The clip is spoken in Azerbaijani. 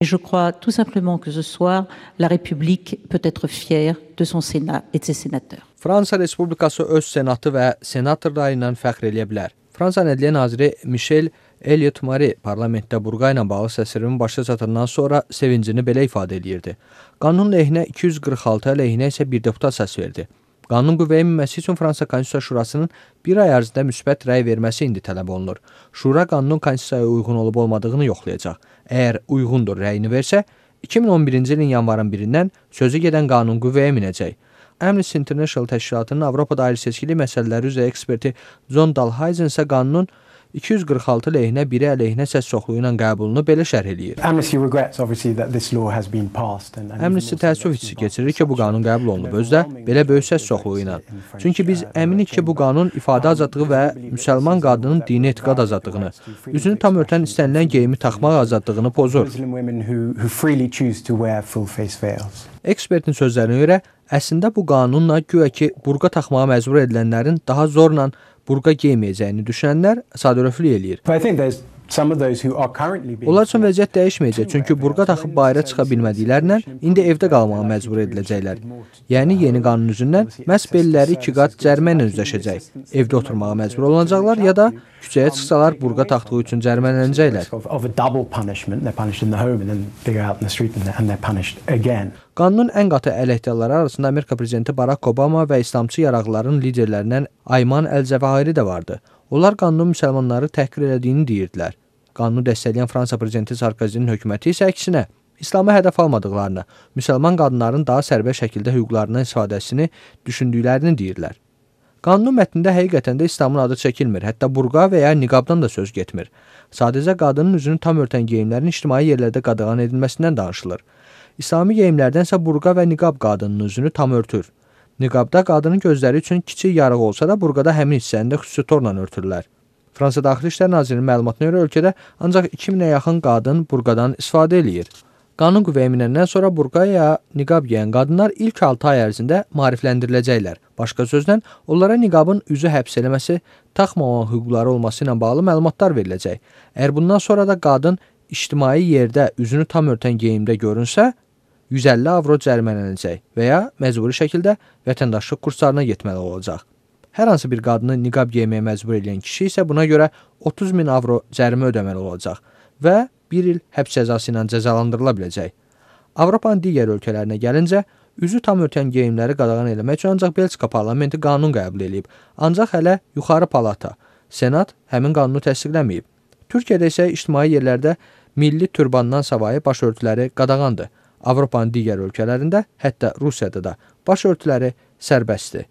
Je crois tout simplement que ce soir, la République peut être fière de son Sénat et de ses sénateurs. Fransa Respublikası öz senatı və senatorları ilə fəxr eləyə bilər. Fransa Ədliyyə naziri Michel Elliott-Marie parlamentdə burqa ilə bağlı səsvermənin başa çatandan sonra sevincini belə ifadə edirdi. Qanun lehinə 246, əleyhinə isə bir deputat səs verdi. Qanun qüvvəyə minməsi üçün Fransa Konstitusiya Şurasının bir ay ərzində müsbət rəy verməsi indi tələb olunur. Şura qanunun Konstitusiyaya uyğun olub-olmadığını yoxlayacaq. Əgər uyğundur rəyini versə, 2011-ci ilin yanvarın 1-dən sözü gedən qanun qüvvəyə minəcək. Amnesty International təşkilatının Avropada ayrı-seçkilik məsələləri üzrə eksperti John Dalhuysen isə qanunun 246 lehinə, biri əleyhinə səs çoxluğu ilə qəbulunu belə şərh eləyir. Amnesty təəssüf hissi keçirir ki, bu qanun qəbul olunub, özdə belə böyük səs çoxluğu ilə. Çünki biz əminik ki, bu qanun ifadə azadlığı və müsəlman qadının dini etiqad azadlığını, üzünü tam örtən istənilən geyimi taxmaq azadlığını pozur. Ekspertin sözlərinə görə, əslində bu qanunla güya ki, burqa taxmağa məcbur edilənlərin daha zorla burqa geyməyəcəyini düşünənlər sadəröflük eləyir. Onlar üçün vəziyyət dəyişməyəcək, çünki burqa taxıb bayıra çıxa bilmədiklərindən indi evdə qalmağa məcbur ediləcəklər. Yəni, yeni qanun üzündən məhz belləri 2 qat cərimə ilə üzləşəcək. Evdə oturmağa məcbur olacaqlar ya da küçəyə çıxsalar burqa taxdığı üçün cərimələnəcəklər. Qanunun ən qatı əleyhdarları arasında Amerika prezidenti Barack Obama və İslamçı yaraqların liderlərindən Ayman Əl-Zəvahiri də vardı. Onlar qanunun müsəlmanları təhqir elədiyini deyirdilər. Qanunu dəstəkləyən Fransa prezidenti Sarkozinin hökuməti isə əksinə, İslamı hədəf almadıqlarını, müsəlman qadınların daha sərbəst şəkildə hüquqlarından istifadəsini düşündüklərini deyirlər. Qanunun mətnində həqiqətən də İslamın adı çəkilmir, hətta burqa və ya niqabdan da söz getmir. Sadəcə qadının üzünü tam örtən geyimlərin ictimai yerlərdə qadağan edilməsindən danışılır. İslami geyimlərdənsə burqa və niqab qadının üzünü tam örtür. Niqabda qadının gözləri üçün kiçik yarıq olsa da, burqada həmin hissəni də xüsusi torla örtürlər. Fransa Daxili İşlər Nazirinin məlumatına görə ölkədə ancaq 2000-ə yaxın qadın burqadan istifadə eləyir. Qanun qüvvəyə minəndən sonra burqa ya niqab geyən qadınlar ilk 6 ay ərzində maarifləndiriləcəklər. Başqa sözlə, onlara niqabın üzü həbs eləməsi, taxmama hüquqları olması ilə bağlı məlumatlar veriləcək. Əgər bundan sonra da qadın ictimai yerdə üzünü tam örtən geyimdə görünsə, 150 avro cərimələnəcək və ya məcburi şəkildə vətəndaşlıq kurslarına getməli olacaq. Hər hansı bir qadını niqab geyməyə məcbur edən kişi isə buna görə 30.000 avro cərimə ödəməli olacaq və 1 il həbs cəzası ilə cəzalandırıla biləcək. Avropanın digər ölkələrinə gəlincə, üzü tam örtən geyimləri qadağan eləmək üçün ancaq Belçika parlamenti qanun qəbul edib, ancaq hələ yuxarı palata, Senat həmin qanunu təsdiqləməyib. Türkiyədə isə ictimai yerlərdə milli türbandan savayı başörtüləri qadağandır. Avropanın digər ölkələrində, hətta Rusiyada da başörtüləri sərbəstdir.